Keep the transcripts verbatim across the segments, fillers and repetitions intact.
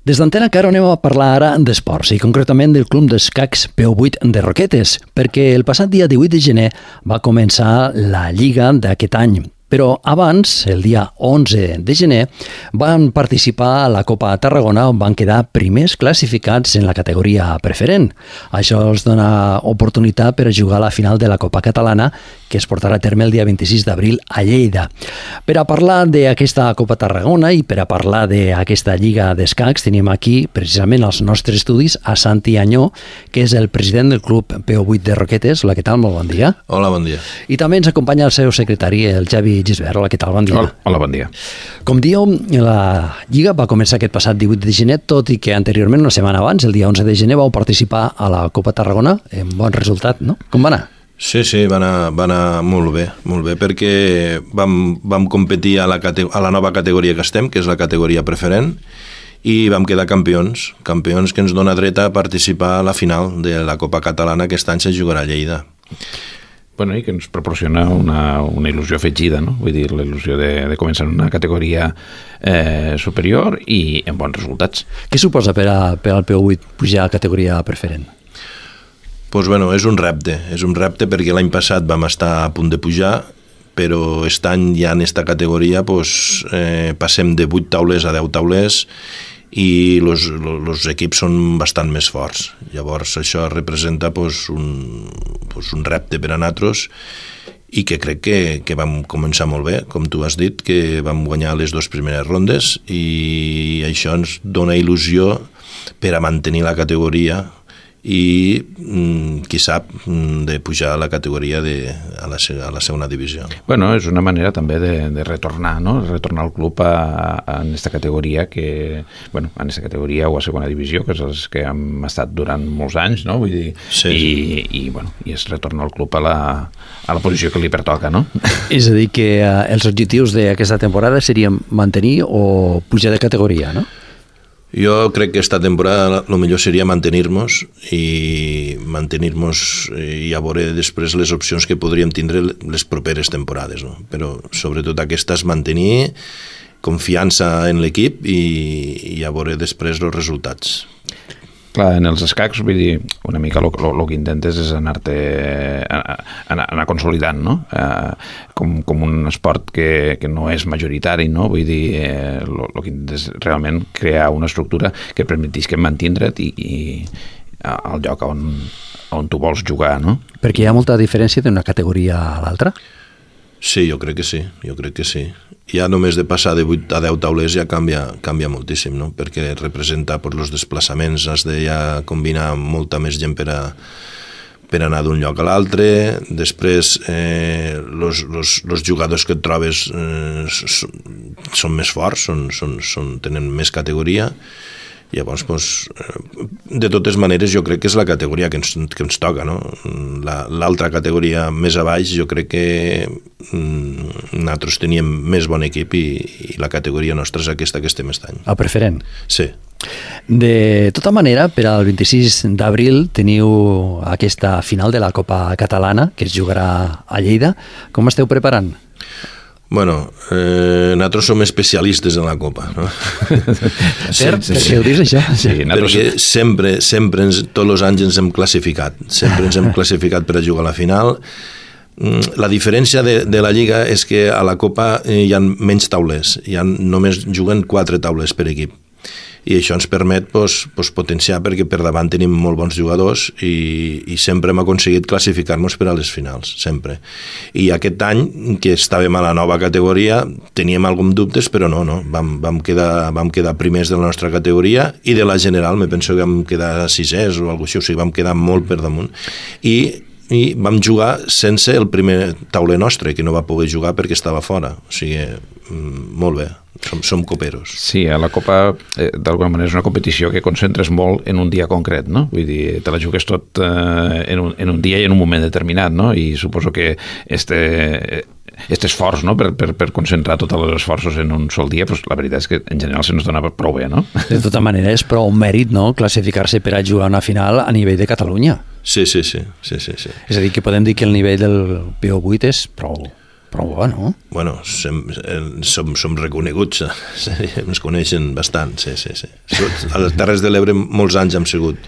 Des d'Antena Caro anem a parlar ara d'esports i concretament del club d'escacs P O vuit de Roquetes, perquè el passat dia divuit de gener va començar la lliga d'aquest any. Però abans, el dia onze de gener, van participar a la Copa Tarragona on van quedar primers classificats en la categoria preferent. Això els dona oportunitat per a jugar a la final de la Copa Catalana que es portarà a terme el dia vint-i-sis d'abril a Lleida. Per a parlar d'aquesta Copa Tarragona i per a parlar d'aquesta Lliga d'Escacs tenim aquí precisament als nostres estudis a Santi Añó, que és el president del club P O vuit de Roquetes. Hola, què tal? Molt bon dia. Hola, bon dia. I també ens acompanya el seu secretari, el Javi Gisbert. Hola, què tal? Bon dia. Hola, hola, bon dia. Com dieu, la Lliga va començar aquest passat divuit de gener, tot i que anteriorment, una setmana abans, el dia onze de gener, vau participar a la Copa Tarragona amb bon resultat, no? Com va anar? Sí, sí, va anar, va anar molt bé, molt bé, perquè vam, vam competir a la, a la nova categoria que estem, que és la categoria preferent, i vam quedar campions, campions que ens dona dret a participar a la final de la Copa Catalana que aquest any se jugarà a Lleida. Bueno, i que ens proporciona una, una il·lusió afegida, no? Vull dir, la il·lusió de, de començar en una categoria eh, superior i amb bons resultats. Què suposa per, a, per al P O vuit pujar a categoria preferent? Pues bueno, és un repte, és un repte perquè l'any passat vam estar a punt de pujar, però aquest any ja en aquesta categoria pues, eh, passem de vuit taules a deu taules i els equips són bastant més forts. Llavors això representa pues, un, pues, un repte per a nosaltres i que crec que, que vam començar molt bé, com tu has dit, que vam guanyar les dues primeres rondes i això ens dona il·lusió per a mantenir la categoria i qui sap de pujar a la categoria de, a, la, a la segona divisió. Bueno, és una manera també de, de retornar, no? Retornar al club a, a, en aquesta categoria que, bueno, en aquesta categoria o a segona divisió, que és els que hem estat durant molts anys, no? Vull dir, sí, i, sí. i, bueno, i és retornar al club a la, a la posició que li pertoca, no? És a dir, que eh, els objectius d'aquesta temporada serien mantenir o pujar de categoria, no? Jo crec que esta temporada el millor seria mantenir-nos i mantenir-nos i a veure després les opcions que podríem tindre les properes temporades, no? Però sobretot aquesta és mantenir confiança en l'equip i, i a veure després els resultats. Clar, en els escacs, vull dir, una mica el que intentes és anar-te anar, anar consolidant, no? Eh, com, com un esport que, que no és majoritari, no? Vull dir, eh, el que intentes realment crear una estructura que permetís que mantindre't i, i al lloc on, on tu vols jugar, no? Perquè hi ha molta diferència d'una categoria a l'altra? Sí, jo crec que sí, jo crec que sí. Ja només de passar de vuit a deu taules ja canvia, canvia moltíssim, no? Perquè representa pues, els desplaçaments, has de ja combinar molta més gent per a, per anar d'un lloc a l'altre. Després, eh, los, los, los jugadors que et trobes eh, són més forts, són, són, són, tenen més categoria. Llavors, pues, de totes maneres, jo crec que és la categoria que ens, que ens toca, no? L'altra categoria més a baix, jo crec que mm, nosaltres teníem més bon equip i, i la categoria nostra és aquesta que estem aquest any. El preferent? Sí. De tota manera, per al vint-i-sis d'abril teniu aquesta final de la Copa Catalana que es jugarà a Lleida. Com esteu preparant? Bueno, eh, nosaltres som especialistes en la Copa, no? Per què ho dius, això? Sí, perquè sempre, sempre ens, tots els anys ens hem classificat, sempre ens hem classificat per a jugar a la final. La diferència de, de la Lliga és que a la Copa hi ha menys taulers, hi ha, només juguen quatre taules per equip. I això ens permet pues, pues, potenciar perquè per davant tenim molt bons jugadors i, i sempre hem aconseguit classificar-nos per a les finals, sempre. I aquest any, que estàvem a la nova categoria, teníem alguns dubtes, però no, no. Vam, vam, quedar, vam quedar primers de la nostra categoria i de la general, me penso que vam quedar sisers o alguna cosa així, o sigui, vam quedar molt per damunt. I i vam jugar sense el primer tauler nostre, que no va poder jugar perquè estava fora. O sigui, molt bé, som, som coperos. Sí, a la Copa, eh, d'alguna manera, és una competició que concentres molt en un dia concret, no? Vull dir, te la jugues tot eh, en, un, en un dia i en un moment determinat, no? I suposo que este... aquest esforç, no? per, per, per concentrar tots els esforços en un sol dia, pues, la veritat és que en general se nos dona prou bé, no? De tota manera és prou mèrit, no?, classificar-se per a jugar una final a nivell de Catalunya. Sí, sí, sí. sí, sí, sí. És a dir, que podem dir que el nivell del P O vuit és prou... Però bueno. Bueno, som, som, som reconeguts, ens coneixen bastant, sí, sí, sí. A les Terres de l'Ebre molts anys hem sigut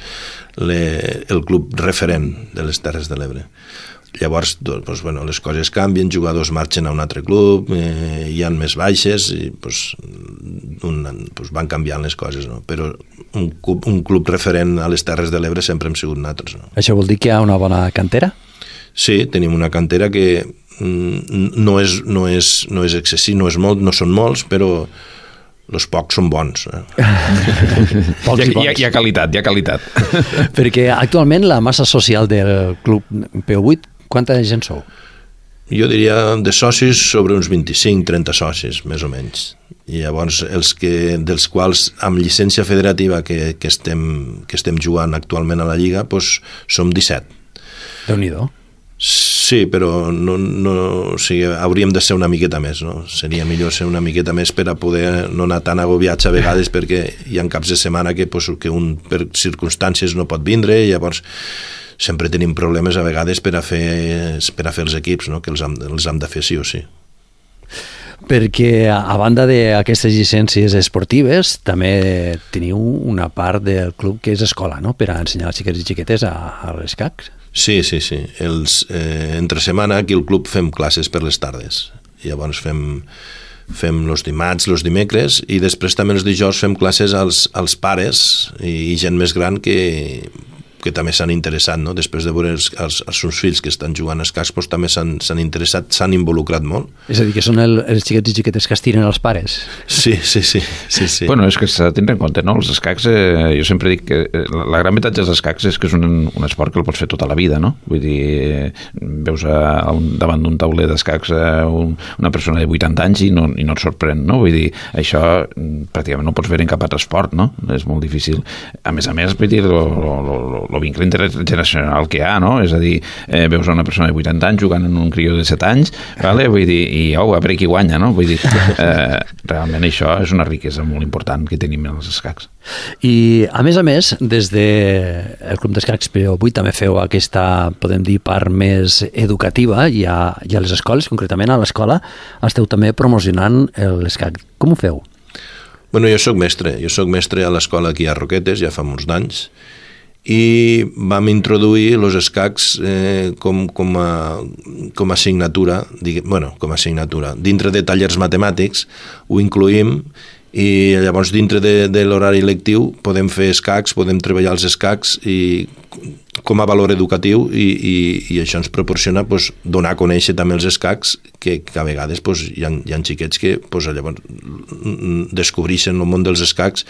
le, el club referent de les Terres de l'Ebre. Llavors, doncs, bueno, les coses canvien, jugadors marxen a un altre club, eh, hi ha més baixes, i doncs, un, doncs van canviant les coses, no? Però un club, un club referent a les Terres de l'Ebre sempre hem sigut nosaltres. No? Això vol dir que hi ha una bona cantera? Sí, tenim una cantera que no és, no és, no és excessiu, no és molt, no són molts, però els pocs són bons. Eh? Pocs hi, ha, hi ha qualitat, hi ha qualitat. Perquè actualment la massa social del club P O vuit, quanta gent sou? Jo diria de socis sobre uns vint-i-cinc trenta socis, més o menys. I llavors, els que, dels quals amb llicència federativa que, que, estem, que estem jugant actualment a la Lliga, doncs som disset. Déu-n'hi-do. Sí, però no, no, o sigui, hauríem de ser una miqueta més, no? Seria millor ser una miqueta més per a poder no anar tan agobiats a vegades, perquè hi ha caps de setmana que, pues, que un per circumstàncies no pot vindre, i llavors sempre tenim problemes a vegades per a fer, per a fer els equips, no? Que els hem, els hem de fer sí o sí. Perquè a banda d'aquestes llicències esportives també teniu una part del club que és escola, no? Per a ensenyar als xiquets i xiquetes a, a l'escacs. Sí, sí, sí. Els, eh, entre setmana aquí al club fem classes per les tardes. Llavors fem, fem els dimarts, els dimecres, i després també els dijous fem classes als, als pares i, i gent més gran que, que també s'han interessat, no? Després de veure els, els, els seus fills que estan jugant a escacs, doncs també s'han interessat, s'han involucrat molt. És a dir, que són el, els xiquets i xiquetes que estiren els pares. Sí, sí, sí. sí, sí. Bueno, és que s'ha de tenir en compte, no? Els escacs, eh, jo sempre dic que la, la gran avantatge dels escacs és que és un, un esport que el pots fer tota la vida, no? Vull dir, eh, veus a un, davant d'un tauler d'escacs eh, un, una persona de vuitanta anys i no, i no et sorprèn, no? Vull dir, això pràcticament no pots veure en cap altre esport, no? És molt difícil. A més a més, vull dir, lo, lo, lo, el vincle intergeneracional que hi ha, no? És a dir, eh, veus una persona de vuitanta anys jugant en un crió de set anys, vale? Vull dir, i oh, a veure qui guanya, no? Vull dir, eh, realment això és una riquesa molt important que tenim en els escacs. I, a més a més, des del Club d'Escacs P O vuit també feu aquesta, podem dir, part més educativa, i a, i a les escoles, concretament a l'escola, esteu també promocionant l'escac. Com ho feu? Bueno, jo soc mestre, jo soc mestre a l'escola aquí a Roquetes, ja fa molts anys, i vam introduir els escacs eh, com, com, a, com a assignatura, digue, bueno, com a assignatura. Dintre de tallers matemàtics ho incluïm, i llavors dintre de, de l'horari lectiu podem fer escacs, podem treballar els escacs i com a valor educatiu, i, i, i això ens proporciona, pues, donar a conèixer també els escacs, que, que a vegades pues, hi, ha, hi ha xiquets que pues, llavors descobreixen el món dels escacs.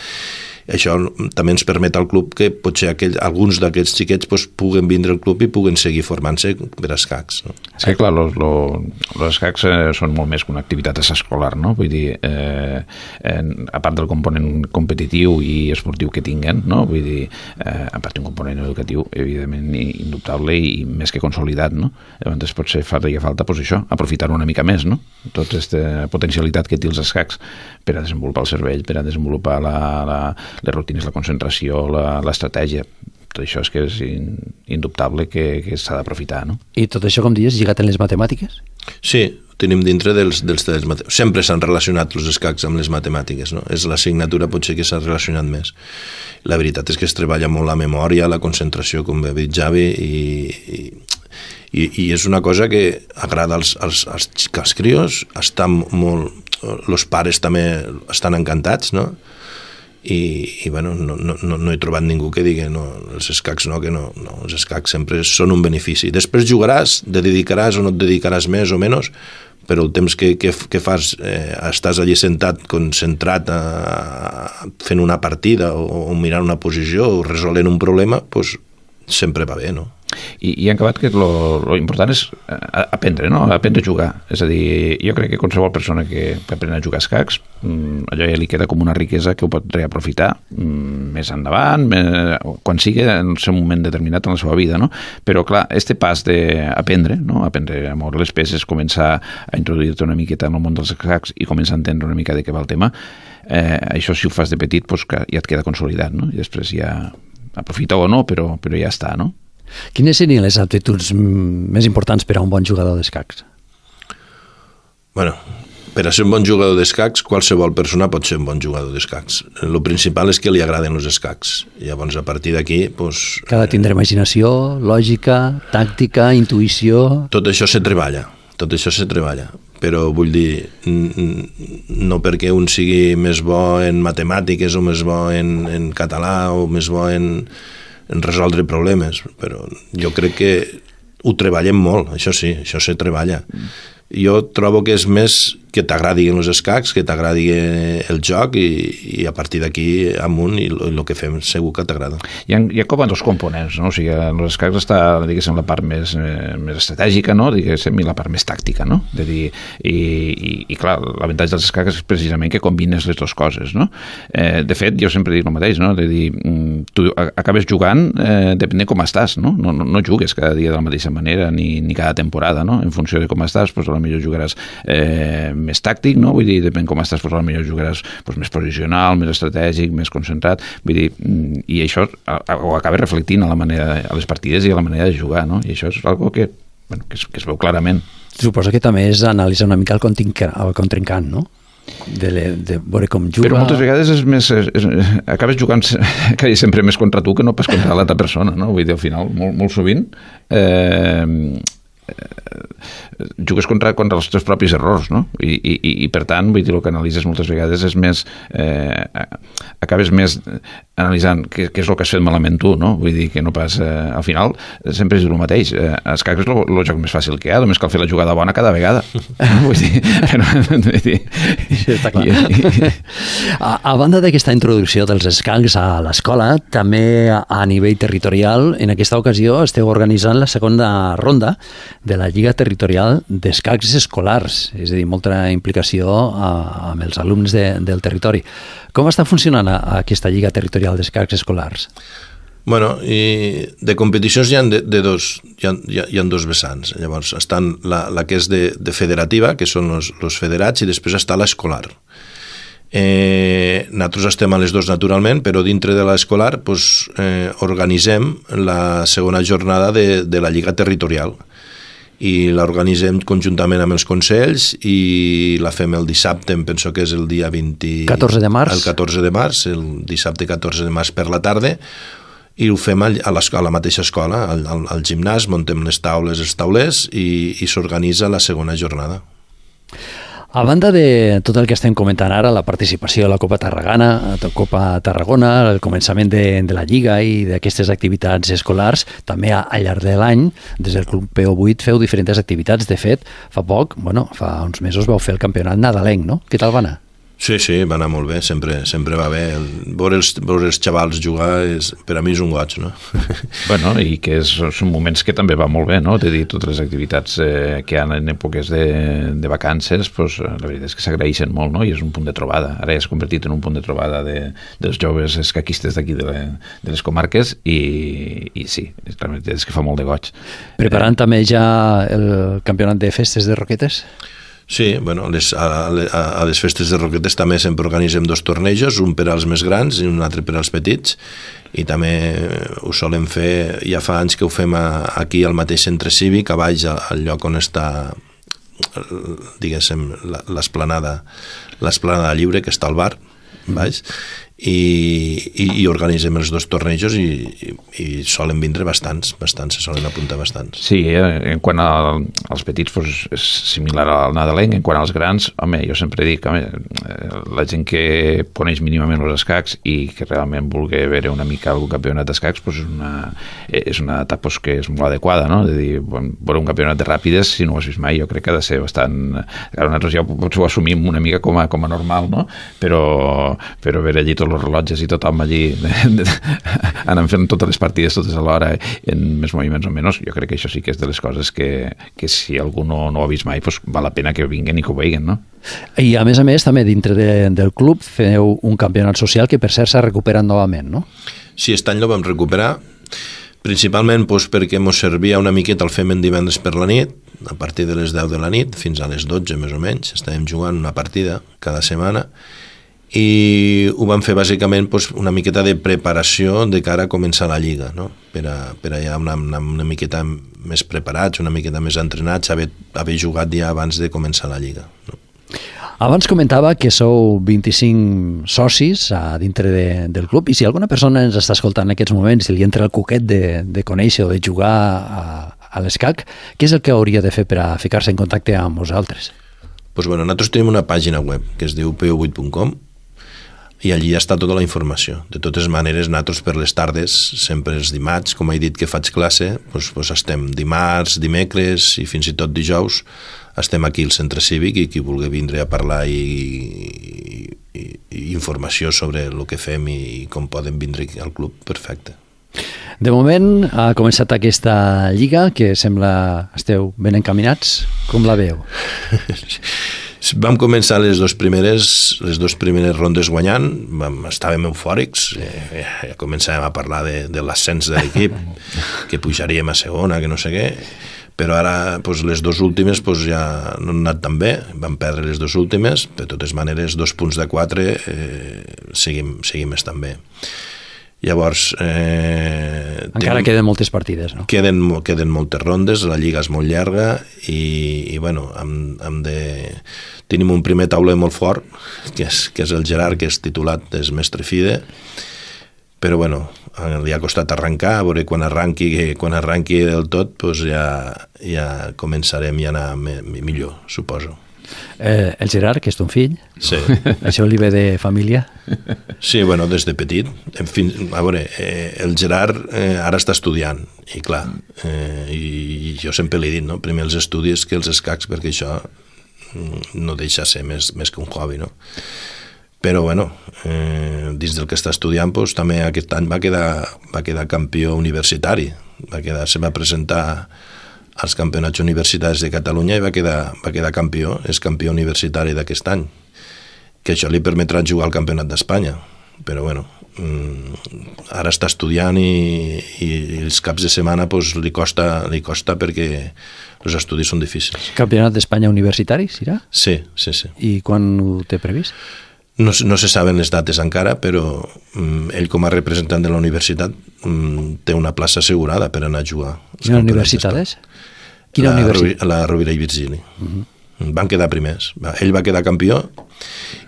Això també ens permet al club que potser aquell, alguns d'aquests xiquets pues, puguen vindre al club i puguen seguir formant-se per escacs. No? És que, clar, los, los, los escacs eh, són molt més que una activitat escolar, no? Vull dir, eh, eh, a part del component competitiu i esportiu que tinguen, no? Vull dir, eh, a part d'un component educatiu, evidentment, indubtable i més que consolidat, no? Llavors, potser faria falta, pues, això, aprofitar una mica més, no? Tota aquesta potencialitat que té els escacs per a desenvolupar el cervell, per a desenvolupar la, la les rutines, la concentració, l'estratègia. Tot això és que és indubtable que, que s'ha d'aprofitar, no? I tot això, com dius, lligat en les matemàtiques? Sí, ho tenim dintre dels, dels, dels matemàtiques. Sempre s'han relacionat els escacs amb les matemàtiques, no? És l'assignatura potser que s'ha relacionat més. La veritat és que es treballa molt la memòria, la concentració, com ha dit Javi, i, i, i és una cosa que agrada als, als, als, als crios, estan molt, els pares també estan encantats, no? I, i bueno, no, no, no he trobat ningú que digui no, els escacs no, que no, no, els escacs sempre són un benefici. Després jugaràs, te dedicaràs o no et dedicaràs més o menys, però el temps que, que, que fas, eh, estàs allí sentat, concentrat, a, a, fent una partida o, o mirant una posició o resolent un problema, pues, sempre va bé, no? I, i en acabat que lo, lo important és aprendre, no? Aprendre a jugar. És a dir, jo crec que qualsevol persona que aprèn a jugar a escacs, allò ja li queda com una riquesa que ho pot reaprofitar més endavant, quan sigui en el seu moment determinat en la seva vida, no? Però clar, este pas d'aprendre, no? Aprendre a moure les peces, començar a introduir-te una miqueta en el món dels escacs i començar a entendre una mica de què va el tema, eh, això si ho fas de petit, pues, ja et queda consolidat, no? I després ja aprofita o no, però, però ja està, no? Quines serien les aptituds més importants per a un bon jugador d'escacs? Bueno, per a ser un bon jugador d'escacs, qualsevol persona pot ser un bon jugador d'escacs. El principal és que li agraden els escacs. Llavors, a partir d'aquí... Pues, que ha de tindre imaginació, lògica, tàctica, intuïció... Tot això se treballa, tot això se treballa. Però vull dir, no perquè un sigui més bo en matemàtiques o més bo en, en català o més bo en, en resoldre problemes, però jo crec que ho treballem molt, això sí, això se treballa. Jo trobo que és més que t'agradin els escacs, que t'agradi el joc i, i a partir d'aquí amunt i el que fem segur que t'agrada. Hi ha, hi ha com a dos components, no? O sigui, en els escacs està, diguéssim, la part més, eh, més estratègica, no? Diguéssim, i la part més tàctica, no? De dir, i, i, i clar, l'avantatge dels escacs és precisament que combines les dues coses, no? Eh, de fet, jo sempre dic el mateix, no? De dir, tu acabes jugant eh, depèn de com estàs, no? No, no? no jugues cada dia de la mateixa manera ni, ni cada temporada, no? En funció de com estàs, doncs potser jugaràs eh, més tàctic, no? Vull dir, depèn com estàs, doncs potser jugaràs doncs, més posicional, més estratègic, més concentrat, vull dir, i això ho acaba reflectint a la manera, a les partides i a la manera de jugar, no? I això és algo que, bueno, que, es, que es veu clarament. Suposo que també és analitzar una mica el contrincant, no? De, le, de veure com juga... Però moltes vegades és més, és, és, acabes jugant sempre més contra tu que no pas contra l'altra persona, no? Vull dir, al final, molt, molt sovint eh, jugues contra, contra els teus propis errors, no? I, i, i per tant, vull dir, el que analitzes moltes vegades és més eh, acabes més analitzant què, què és el que has fet malament tu, no? Vull dir que no pas, eh, al final sempre és el mateix, eh, escacs és el, el joc més fàcil que hi ha, només cal fer la jugada bona cada vegada. Vull dir, no, vull dir, sí, està clar. a, a banda d'aquesta introducció dels escacs a l'escola, també a, a nivell territorial, en aquesta ocasió esteu organitzant la segona ronda de la Lliga Territorial d'Escacs Escolars, és a dir, molta implicació a, amb els alumnes de, del territori. Com està funcionant a, a aquesta Lliga Territorial d'Escacs Escolars? Bueno, i de competicions hi ha, de, de dos, hi ha, hi ha, hi ha dos vessants. Llavors, estan la, la que és de, de federativa, que són els, els federats, i després està l'escolar. Eh, nosaltres estem a les dos naturalment, però dintre de l'escolar pues, eh, organitzem la segona jornada de, de la Lliga Territorial i l'organitzem conjuntament amb els consells i la fem el dissabte, em penso que és el dia vint... catorze de març. El catorze de març, el dissabte catorze de març per la tarda, i ho fem a la, a la mateixa escola, al, al, al gimnàs, muntem les taules, els taulers i, i s'organitza la segona jornada. A banda de tot el que estem comentant ara, la participació a la Copa Tarragona, a Copa Tarragona, el començament de, de la Lliga i d'aquestes activitats escolars, també al llarg de l'any, des del Club P O vuit, feu diferents activitats. De fet, fa poc, bueno, fa uns mesos vau fer el campionat nadalenc, no? Què tal va anar? Sí, sí, va anar molt bé, sempre, sempre va bé. El, veure, els, veure els xavals jugar, és, per a mi és un goig, no? Bueno, i que és, són moments que també va molt bé, no? De dir, totes les activitats eh, que hi ha en èpoques de, de vacances, pues, la veritat és que s'agraeixen molt, no? I és un punt de trobada. Ara ja s'ha convertit en un punt de trobada de, dels joves escaquistes d'aquí de, la, de les comarques i, i sí, la veritat és que fa molt de goig. Preparant eh, també ja el campionat de festes de Roquetes? Sí, bueno, les, a, a les festes de Roquetes també sempre organitzem dos tornejos, un per als més grans i un altre per als petits, i també ho solem fer, ja fa anys que ho fem a, aquí al mateix centre cívic, a baix, al lloc on està, diguéssim, l'esplanada l'esplanada lliure, que està al bar, baix, i, i, i organitzem els dos tornejos i, i, i solen vindre bastants, bastants, se solen apuntar bastants. Sí, en quant a, als petits pues, és similar al nadalenc, en quant als grans, home, jo sempre dic, home, la gent que coneix mínimament els escacs i que realment vulgui veure una mica algun campionat d'escacs, pues, és una, és una etapa pues, que és molt adequada, no? De dir, veure un campionat de ràpides, si no ho has vist mai, jo crec que ha de ser bastant... Ara nosaltres ja potser ho assumim una mica com a, com a normal, no? Però, però veure allí tots els rellotges i tothom allí anant fent totes les partides totes alhora en més moviments o menys, jo crec que això sí que és de les coses que, que si algú no, no ho ha vist mai, pues val la pena que vinguen i que ho vegin, no? I a més a més també dintre de, del club feu un campionat social que per cert s'ha recuperat novament, no? Sí, aquest any el vam recuperar principalment doncs, perquè ens servia una miqueta el fem en divendres per la nit, a partir de les deu de la nit fins a les dotze més o menys, estàvem jugant una partida cada setmana i ho vam fer bàsicament doncs, una miqueta de preparació de cara a començar la Lliga, no? per, a, per a ja una, una, una miqueta més preparats, una miqueta més entrenats, haver, haver jugat ja abans de començar la Lliga. No? Abans comentava que sou vint-i-cinc socis a dintre de, del club, i si alguna persona ens està escoltant en aquests moments i li entra el cuquet de, de conèixer o de jugar a, a l'escac, què és el que hauria de fer per a ficar-se en contacte amb vosaltres? Pues bueno, nosaltres tenim una pàgina web que es diu p o vuit punt com i allí està tota la informació. De totes maneres, nosaltres per les tardes, sempre els dimarts, com he dit que faig classe, doncs, doncs estem dimarts, dimecres i fins i tot dijous, estem aquí al centre cívic i qui vulgui vindre a parlar i, i, i informació sobre el que fem i, i com poden vindre al club, perfecte. De moment ha començat aquesta lliga, que sembla esteu ben encaminats. Com la veu? Vam començar les dues primeres, les dues primeres rondes guanyant, vam, estàvem eufòrics, eh, ja començàvem a parlar de, de l'ascens de l'equip, que pujaríem a segona, que no sé què, però ara doncs, les dues últimes doncs, ja no han anat tan bé, vam perdre les dues últimes, de totes maneres, dos punts de quatre, eh, seguim, seguim estant bé. Llavors... Eh, Encara tenim, queden moltes partides, no? Queden, queden moltes rondes, la lliga és molt llarga i, i bueno, hem, hem de... tenim un primer tauler molt fort, que és, que és el Gerard, que és titulat, és mestre fide, però bueno, li ha costat arrencar, a veure quan arranqui, quan arranqui del tot, doncs ja, ja començarem a anar millor, suposo. Eh, el Gerard, que és ton fill, sí. Això li ve de família? Sí, bueno, des de petit. En fi, a veure, eh, el Gerard eh, ara està estudiant, i clar, eh, i jo sempre li he dit, no? Primer els estudis que els escacs, perquè això no deixa ser més, més que un hobby, no? Però, bueno, eh, dins del que està estudiant, doncs, també aquest any va quedar, va quedar campió universitari, va quedar, se va presentar als campionats universitaris de Catalunya i va quedar, va quedar campió, és campió universitari d'aquest any, que això li permetrà jugar al campionat d'Espanya, però bueno, ara està estudiant i, i els caps de setmana pues, li, costa, li costa perquè els estudis són difícils. Campionat d'Espanya universitari, serà? Sí, sí, sí. I quan ho té previst? No, no se saben les dates encara, però um, ell com a representant de la universitat um, té una plaça assegurada per anar a jugar. Quina universitat és? Quina la, universitat? La Rovira i Virgili. Uh-huh. Van quedar primers. Ell va quedar campió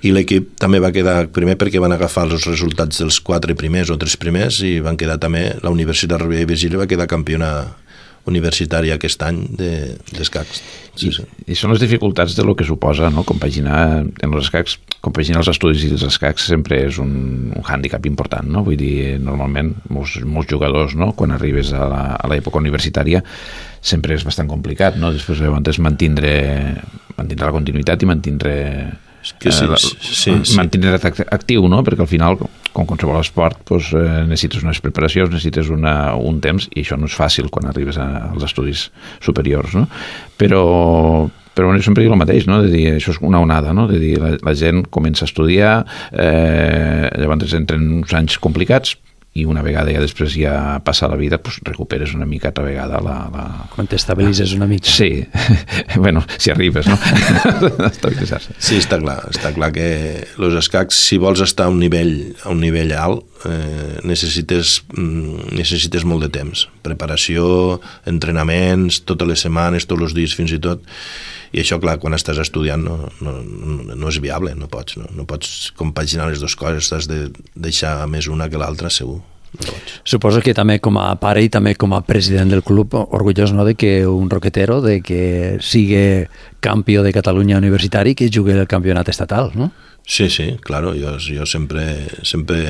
i l'equip també va quedar primer perquè van agafar els resultats dels quatre primers o tres primers i van quedar també, la Universitat Rovira i Virgili va quedar campiona universitària aquest any d'escacs. Sí, sí. I, I són les dificultats de lo que suposa, no? Compaginar en els escacs, compaginar els estudis i els escacs sempre és un, un hàndicap important, no? Vull dir, normalment molts, molts jugadors, no? Quan arribes a l'època universitària sempre és bastant complicat, no? Després llavors mantindre, mantindre la continuïtat i mantindre que sí, eh, sí, sí. mantindre actiu, no? Perquè al final, com qualsevol esport, doncs, eh, necessites unes preparacions, necessites una, un temps, i això no és fàcil quan arribes a, als estudis superiors, no? Però, però bueno, jo sempre dic el mateix, no? De dir, això és una onada, no? De dir, la, la gent comença a estudiar, eh, llavors entren uns anys complicats, i una vegada ja després ja passa la vida, doncs recuperes una mica altra vegada la... la... Quan t'estabilitzes una mica. Sí, bueno, si arribes, no? Estabilitzar-se. Sí, està clar, està clar que els escacs, si vols estar a un nivell, a un nivell alt, eh, necessites, necessites molt de temps. Preparació, entrenaments, totes les setmanes, tots els dies fins i tot. I això, clar, quan estàs estudiant no, no, no és viable, no pots, no, no pots compaginar les dues coses, has de deixar més una que l'altra, segur. No Suposo que també com a pare i també com a president del club, orgullós, no?, de que un roquetero, de que sigui campió de Catalunya universitari, que jugui el campionat estatal, no? Sí, sí, claro, jo, jo sempre, sempre,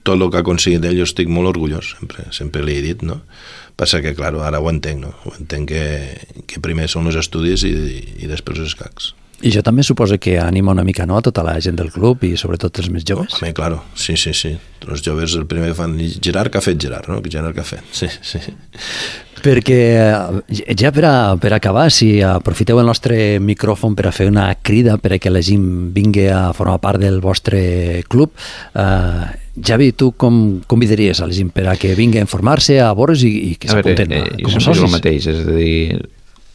tot el que ha aconseguit ell, jo estic molt orgullós, sempre, sempre li he dit, no? Passa que, clar, ara ho entenc, no? Ho entenc que, que primer són els estudis i, i després els escacs. I jo també suposo que anima una mica, no?, a tota la gent del club i sobretot els més joves. Home, claro, sí, sí, sí. Els joves el primer fan, Gerard, què ha fet Gerard, no? Gerard, què ha fet? Sí, sí. Perquè ja per, a, per acabar, si aprofiteu el nostre micròfon per a fer una crida per a que la gent vingui a formar part del vostre club, eh, Javi, tu com convidaries a la gent per a que vingui a informar-se, a veure's i, i que s'apunten eh, com a socis? Jo sempre dic el mateix, és a dir,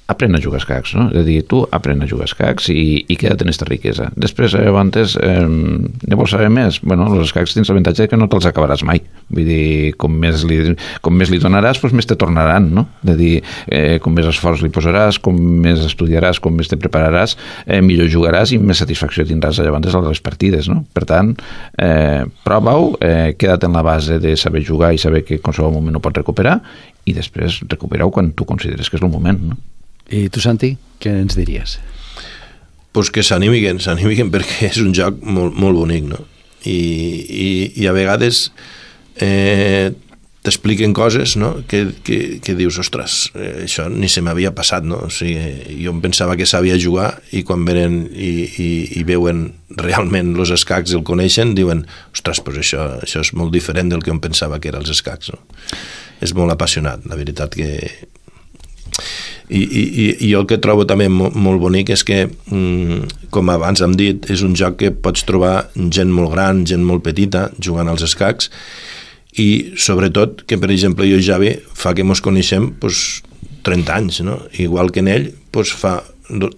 aprèn a jugar escacs, no? És a dir, tu aprèn a jugar escacs i, i queda't en aquesta riquesa. Després, abans, eh, ne vols saber més? Bueno, els escacs tens l'avantatge que no te'ls acabaràs mai. Vull dir, com més li, com més li donaràs, doncs més te tornaran, no? És a dir, eh, com més esforç li posaràs, com més estudiaràs, com més te prepararàs, eh, millor jugaràs i més satisfacció tindràs llavors a les partides, no? Per tant, eh, prova-ho, eh, queda't en la base de saber jugar i saber que en qualsevol moment ho pots recuperar i després recupera-ho quan tu consideres que és el moment, no? I tu, Santi, què ens diries? Pues que s'animiguen, s'animiguen perquè és un joc molt, molt bonic, no? I, i, i a vegades eh, t'expliquen coses, no? que, que, que dius, ostres, eh, això ni se m'havia passat, no? O sigui, jo em pensava que sabia jugar i quan venen i, i, i veuen realment els escacs i el coneixen, diuen, ostres, pues això, això és molt diferent del que em pensava que eren els escacs, no? És molt apassionat, la veritat que... I, i, i jo el que trobo també molt, molt bonic és que, com abans hem dit, és un joc que pots trobar gent molt gran, gent molt petita, jugant als escacs, i sobretot que, per exemple, jo i Javi, fa que mos coneixem pues, trenta anys, no? Igual que en ell, pues, fa,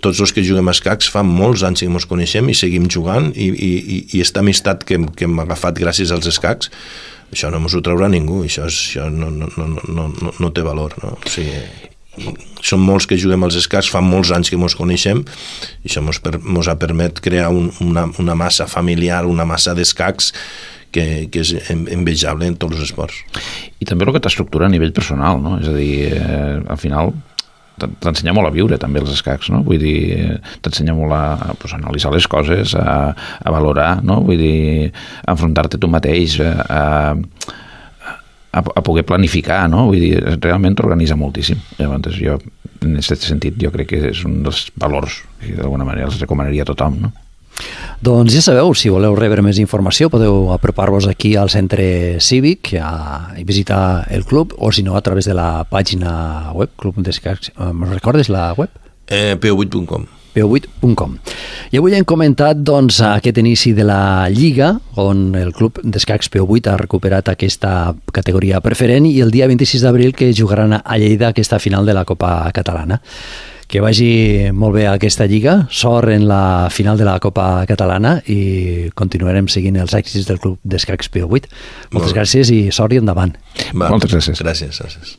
tots els que juguem a escacs fa molts anys que mos coneixem i seguim jugant, i, i, i esta amistat que, que hem agafat gràcies als escacs, això no mos ho traurà ningú, això, és, això no, no, no, no, no, no té valor, no? O sigui, som molts que juguem als escacs, fa molts anys que mos coneixem i això mos, per, mos ha permet crear un, una, una massa familiar, una massa d'escacs que, que és envejable en tots els esports. I també el que t'estructura a nivell personal, no? És a dir, eh, al final t'ensenya molt a viure també els escacs, no? Vull dir, t'ensenya molt a, pues, a analitzar les coses, a, a valorar, no? Vull dir, a enfrontar-te tu mateix, a, a a poder planificar, no? Vull dir, realment t'organitza moltíssim. Llavors, jo, en aquest sentit, jo crec que és un dels valors que d'alguna manera els recomanaria a tothom, no? Doncs ja sabeu, si voleu rebre més informació podeu apropar-vos aquí al centre cívic a, a visitar el club, o si no a través de la pàgina web, Club d'Escacs. Me'n recordes la web? Eh, p o vuit punt com. p o vuit punt com. I avui hem comentat doncs, aquest inici de la Lliga, on el Club d'Escacs P O vuit ha recuperat aquesta categoria preferent, i el dia vint-i-sis d'abril que jugaran a Lleida aquesta final de la Copa Catalana. Que vagi molt bé aquesta Lliga, sort en la final de la Copa Catalana i continuarem seguint els èxits del Club d'Escacs P O vuit. Moltes gràcies i sort i endavant. Va, Moltes gràcies. Gràcies, gràcies.